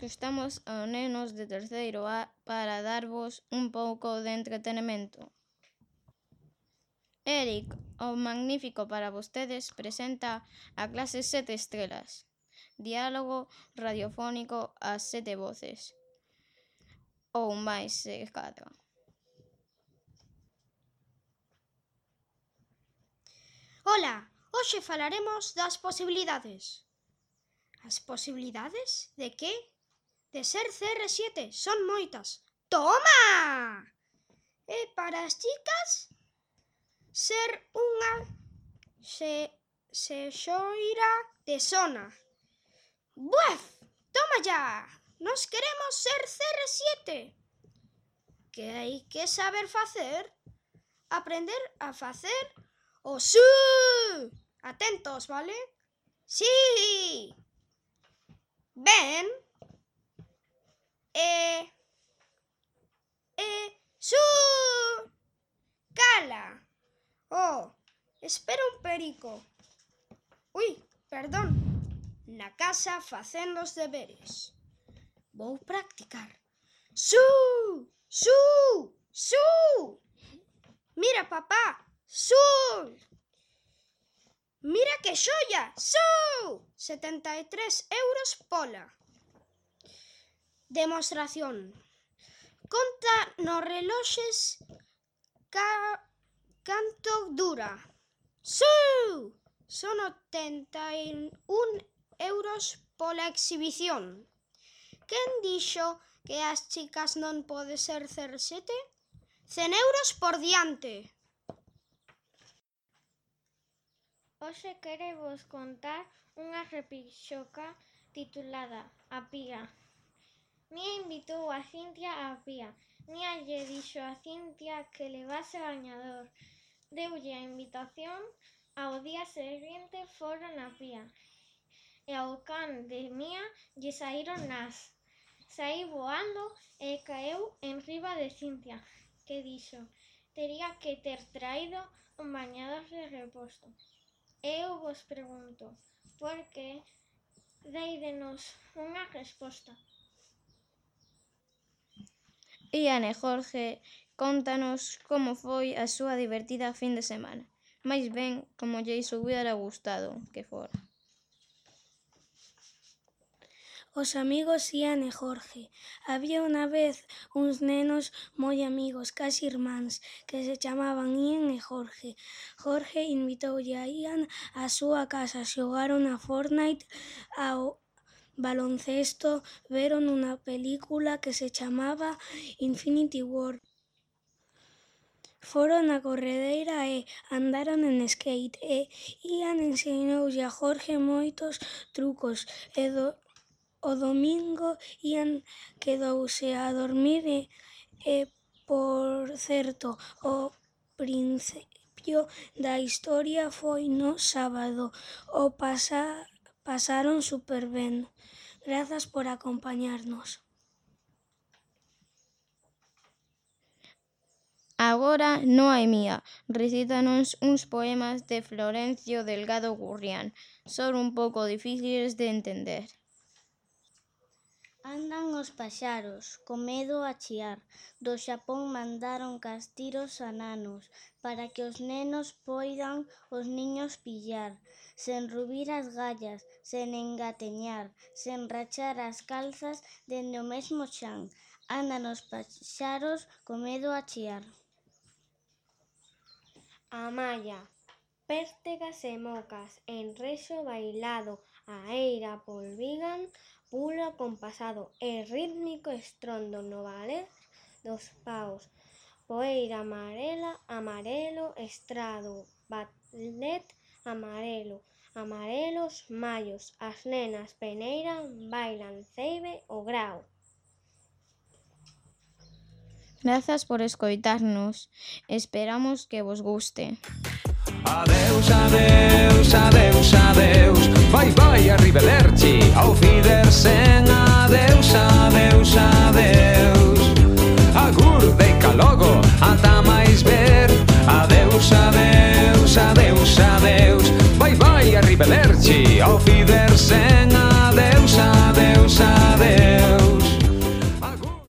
que estamos aos nenos de terceiro A para darvos un pouco de entretenimento. Eric, o magnífico para vostedes, presenta a clase 7 estrelas. Diálogo radiofónico a 7 voces. Ou máis se cadra. Ola, hoxe falaremos das posibilidades. As posibilidades de que? De ser CR7 son moitas. Toma! E para as chicas, ser unha sexoira de zona. Buef! Toma ya! Nos queremos ser CR7. Que hai que saber facer? Aprender a facer o su. Atentos, vale? Sí. Ben. Su. Cala. Oh, espera un perico. Ui, perdón. Na casa facendo os deberes. Vou practicar. Su. Mira, papá. Su. Mira que xoia. Su. 73 euros pola. Demostración. Conta nos reloxes canto dura. Su. Son 81 euros pola exhibición. Quen dixo que as chicas non pode ser CR7? 100 euros por diante. Hoxe querevos contar unha repixoca titulada A Pía. Mía invitou a Cintia á pía. Mía lle dixo a Cintia que levase bañador. Deulle a invitación, ao día seguinte foron á pía. E ao can de Mía lle saíron nas. Saí voando e caeu enriba de Cintia, que dixo tería que ter traído un bañador de reposto. Eu vos pregunto, por que? Deidenos unha resposta. Ian e Jorge, contanos como foi a súa divertida fin de semana. Mais ben, como lles hubiera gustado que fora. Os amigos Ian e Jorge. Había unha vez uns nenos moi amigos, casi irmáns, que se chamaban Ian e Jorge. Jorge invitoulle a Ian á súa casa, xogaron a Fortnite, ao baloncesto, veron unha película que se chamaba Infinity War. Foron á corredeira e andaron en skate e Ian ensinoulle a Jorge moitos trucos e o domingo Ian quedouse a dormir e por certo, o principio da historia foi no sábado. O pasaron super ben. Grazas por acompañarnos. Agora Noemía recítanos uns poemas de Florencio Delgado Gurrián. Son un pouco difíciles de entender. Andan os paxaros, co medo a chiar. Do Xapón mandaron castiros a nanos, para que os nenos poidan os niños pillar, sen rubir as gallas, sen engateñar, sen rachar as calzas dende o mesmo chan. Andan os paxaros co medo a chiar. A malla, pértegas e mocas, en rexo bailado, a eira polvigan, pulo compasado e rítmico estrondo no valer dos paus. Poeira amarela, amarelo, estrado, ballet amarelo, amarelos mallos, as nenas peneiran, bailan ceibe o grao. Grazas por escoitarnos. Esperamos que vos guste. Adeus, adeus, adeus, adeus. Vai, vai, arrivederci. Auf Wiedersehen. Adeus, adeus, adeus. Agur, venga logo, ata máis ver. Adeus, adeus, adeus, adeus. Vai, vai, arrivederci. Auf Wiedersehen.